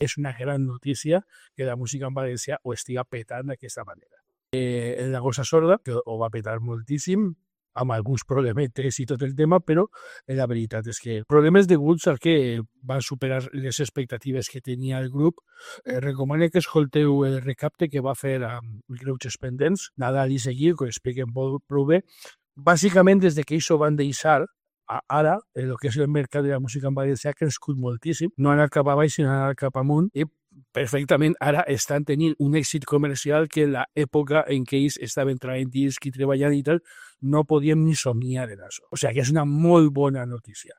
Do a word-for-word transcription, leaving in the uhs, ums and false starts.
és una gran notícia que la música en valencià ho estiga petant d'aquesta manera. Eh, la Gossa Sorda, que ho va petar moltíssim, amb alguns problemetes i tot el tema, però la veritat és que problemes deguts al que van superar les expectatives que tenia el grup. Eh, recomano que escolteu el recapte que va fer amb Greuges Pendents, Nadal i Seguir, que ho expliquen prou bé. Bàsicament, des de que ells ho van deixar, ara, el que és el mercat de la música en valencià ha crescut moltíssim, no ha anat cap a baix, sinó ha anat cap amunt, i perfectament ara estan tenint un èxit comercial que en l'època en què ells estaven traient discs i treballant i tal, no podíem ni somniar en això. O sigui que és una molt bona notícia.